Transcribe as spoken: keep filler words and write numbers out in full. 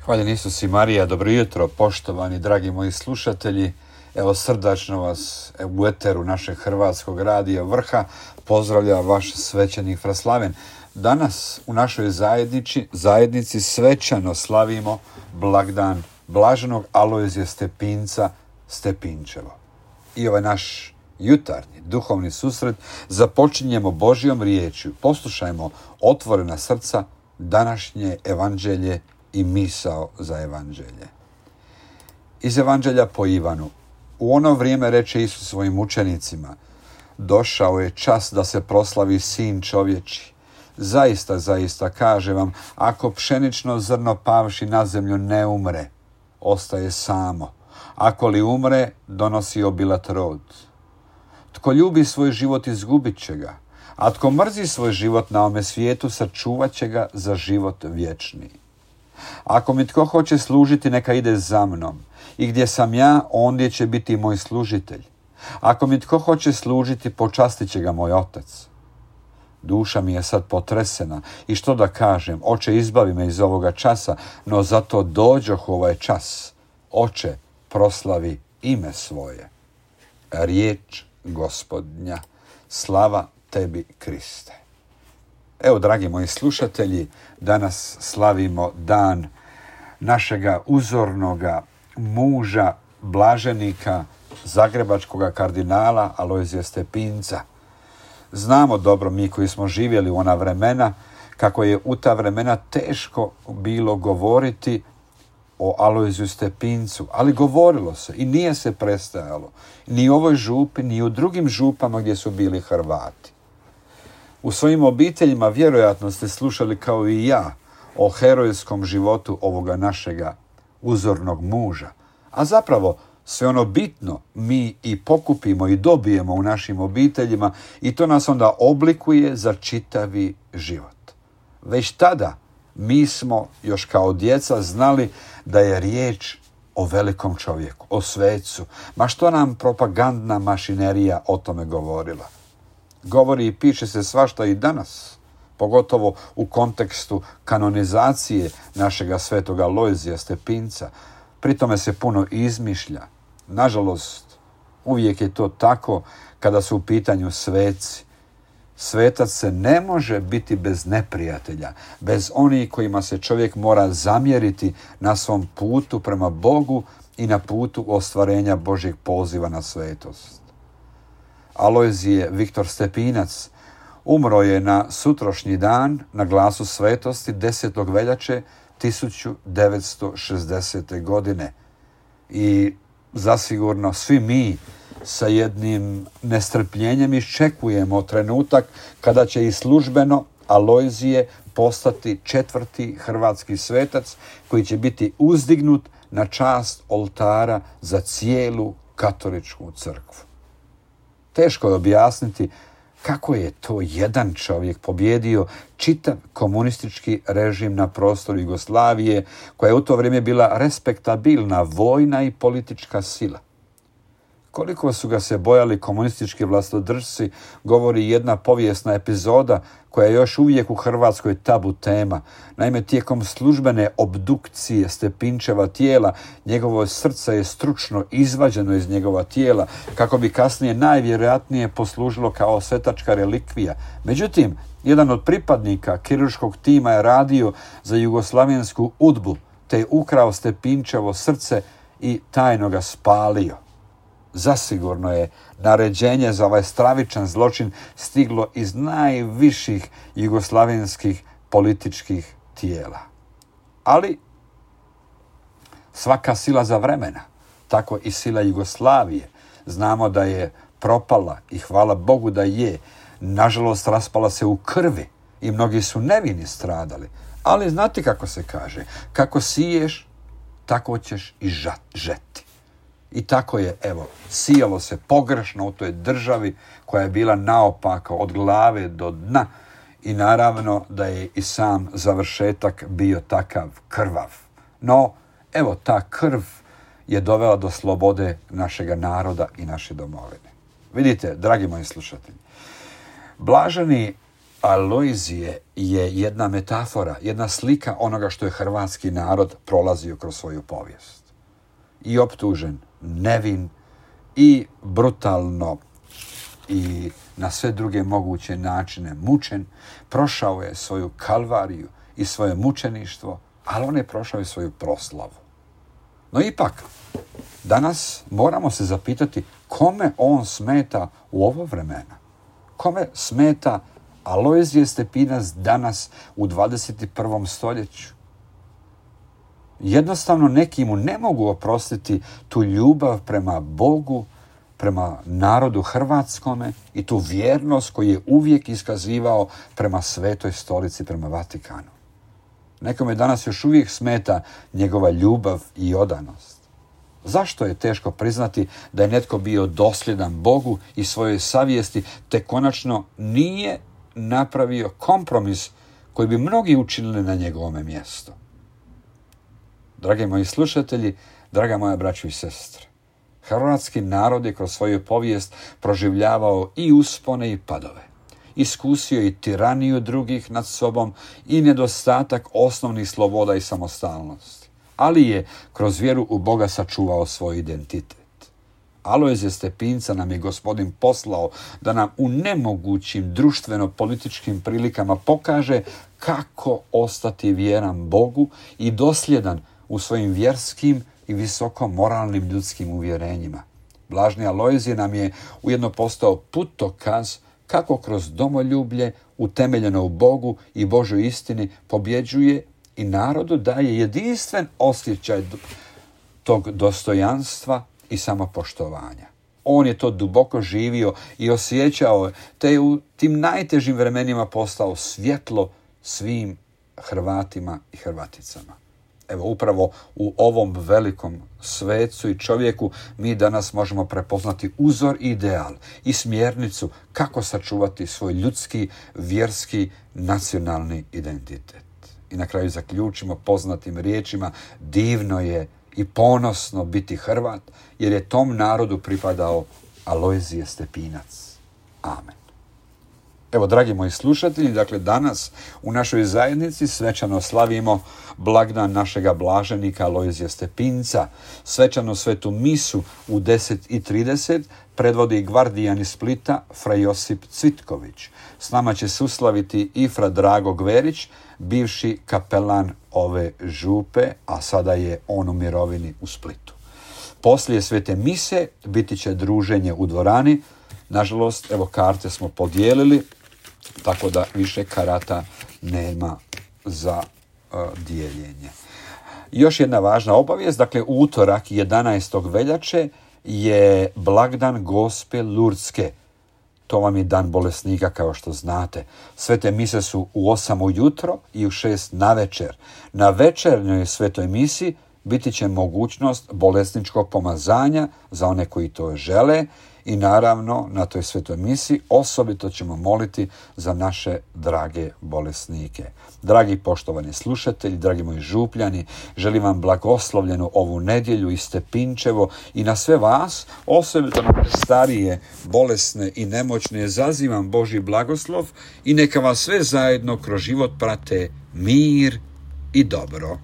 Hvaljen Isus i Marija, dobro jutro, poštovani dragi moji slušatelji. Evo srdačno vas u eteru našeg hrvatskog radija Vrha pozdravlja vaš svećenik Fraslaven. Danas u našoj zajednici, zajednici svečano slavimo blagdan blaženog Alojzija Stepinca Stepinčevo. I ovaj naš jutarnji duhovni susret započinjemo Božjom riječju. Poslušajmo otvorena srca, današnje evanđelje i misao za evanđelje. Iz evanđelja po Ivanu. U ono vrijeme reče Isus svojim učenicima: došao je čas da se proslavi Sin čovječi. Zaista, zaista, kaže vam, ako pšenično zrno pavši na zemlju ne umre, ostaje samo. Ako li umre, donosi obilat rod. Tko ljubi svoj život, izgubit će ga, a tko mrzi svoj život na ovome svijetu, sačuvat će ga za život vječni. Ako mi tko hoće služiti, neka ide za mnom, i gdje sam ja, ondje će biti moj služitelj. Ako mi tko hoće služiti, počastit će ga moj otac. Duša mi je sad potresena i što da kažem, Oče, izbavi me iz ovoga časa, no zato dođoh u ovaj čas. Oče, proslavi ime svoje. Riječ Gospodnja. Slava tebi, Kriste. Evo, dragi moji slušatelji, danas slavimo dan našega uzornoga muža, blaženika, zagrebačkog kardinala Alojzija Stepinca. Znamo dobro, mi koji smo živjeli u ona vremena, kako je u ta vremena teško bilo govoriti o Alojziju Stepincu, ali govorilo se i nije se prestajalo. Ni u ovoj župi, ni u drugim župama gdje su bili Hrvati. U svojim obiteljima vjerojatno ste slušali kao i ja o herojskom životu ovoga našega uzornog muža. A zapravo sve ono bitno mi i pokupimo i dobijemo u našim obiteljima i to nas onda oblikuje za čitavi život. Već tada mi smo još kao djeca znali da je riječ o velikom čovjeku, o svecu. Ma što nam propagandna mašinerija o tome govorila? Govori i piše se svašta i danas, pogotovo u kontekstu kanonizacije našega svetoga Alojzija Stepinca. Pri tome se puno izmišlja. Nažalost, uvijek je to tako kada su u pitanju sveci. Svetac se ne može biti bez neprijatelja, bez onih kojima se čovjek mora zamjeriti na svom putu prema Bogu i na putu ostvarenja Božjeg poziva na svetost. Alojzije Viktor Stepinac umro je na sutrošnji dan na glasu svetosti desetog veljače tisuću devetsto šezdesete. godine. I zasigurno svi mi sa jednim nestrpljenjem iščekujemo trenutak kada će i službeno Alojzije postati četvrti hrvatski svetac koji će biti uzdignut na čast oltara za cijelu katoličku crkvu. Teško je objasniti kako je to jedan čovjek pobjedio čitav komunistički režim na prostoru Jugoslavije, koja je u to vrijeme bila respektabilna vojna i politička sila. Koliko su ga se bojali komunistički vlastodržci, govori jedna povijesna epizoda koja je još uvijek u Hrvatskoj tabu tema. Naime, tijekom službene obdukcije Stepinčeva tijela, njegovo srce je stručno izvađeno iz njegova tijela, kako bi kasnije najvjerojatnije poslužilo kao svetačka relikvija. Međutim, jedan od pripadnika kirurškog tima je radio za jugoslavensku udbu, te je ukrao Stepinčevo srce i tajno ga spalio. Zasigurno je naređenje za ovaj stravičan zločin stiglo iz najviših jugoslavenskih političkih tijela. Ali svaka sila za vremena, tako i sila Jugoslavije, znamo da je propala i hvala Bogu da je. Nažalost, raspala se u krvi i mnogi su nevini stradali. Ali znate kako se kaže, kako siješ, tako ćeš i žeti. I tako je, evo, sijalo se pogrešno u toj državi koja je bila naopako od glave do dna i naravno da je i sam završetak bio takav krvav. No, evo, ta krv je dovela do slobode našega naroda i naše domovine. Vidite, dragi moji slušatelji, blaženi Alojzije je jedna metafora, jedna slika onoga što je hrvatski narod prolazio kroz svoju povijest. I optužen, nevin, i brutalno, i na sve druge moguće načine mučen, prošao je svoju kalvariju i svoje mučeništvo, ali on je prošao i svoju proslavu. No ipak, danas moramo se zapitati kome on smeta u ovo vremena. Kome smeta Alojzije Stepinac danas u dvadeset prvom stoljeću? Jednostavno neki mu ne mogu oprostiti tu ljubav prema Bogu, prema narodu hrvatskome i tu vjernost koju je uvijek iskazivao prema Svetoj stolici, prema Vatikanu. Nekome danas još uvijek smeta njegova ljubav i odanost. Zašto je teško priznati da je netko bio dosljedan Bogu i svojoj savjesti, te konačno nije napravio kompromis koji bi mnogi učinili na njegovome mjestu? Dragi moji slušatelji, draga moja braćo i sestre, hrvatski narod je kroz svoju povijest proživljavao i uspone i padove. Iskusio i tiraniju drugih nad sobom i nedostatak osnovnih sloboda i samostalnosti. Ali je kroz vjeru u Boga sačuvao svoj identitet. Alojzije Stepinca nam je Gospodin poslao da nam u nemogućim društveno-političkim prilikama pokaže kako ostati vjeran Bogu i dosljedan u svojim vjerskim i visoko moralnim ljudskim uvjerenjima. Blaženi Alojzije nam je ujedno postao putokaz kako kroz domoljublje utemeljeno u Bogu i Božoj istini pobjeđuje i narodu daje jedinstven osjećaj tog dostojanstva i samopoštovanja. On je to duboko živio i osjećao, te je u tim najtežim vremenima postao svjetlo svim Hrvatima i Hrvaticama. Evo, upravo u ovom velikom svecu i čovjeku mi danas možemo prepoznati uzor i ideal i smjernicu kako sačuvati svoj ljudski, vjerski, nacionalni identitet. I na kraju zaključimo poznatim riječima: divno je i ponosno biti Hrvat, jer je tom narodu pripadao Alojzije Stepinac. Amen. Evo, dragi moji slušatelji, dakle danas u našoj zajednici svečano slavimo blagdan našega blaženika Alojzija Stepinca. Svečanu svetu misu u deset i trideset predvodi gvardijan iz Splita fra Josip Cvitković. S nama će suslaviti i fra Drago Gverić, bivši kapelan ove župe, a sada je on u mirovini u Splitu. Poslije svete mise biti će druženje u dvorani. Nažalost, evo, karte smo podijelili, tako da više karata nema za uh, dijeljenje. Još jedna važna obavijest, dakle utorak jedanaestog veljače je blagdan Gospe Lurdske. To vam je dan bolesnika, kao što znate. Svete mise su u osam ujutro i u šest navečer. Na večernjoj svetoj misi biti će mogućnost bolesničkog pomazanja za one koji to žele i naravno na toj svetoj misi osobito ćemo moliti za naše drage bolesnike. Dragi poštovani slušatelji, dragi moji župljani, želim vam blagoslovljenu ovu nedjelju i Stepinčevo i na sve vas, osobito na starije, bolesne i nemoćne, zazivam Božji blagoslov i neka vas sve zajedno kroz život prate mir i dobro.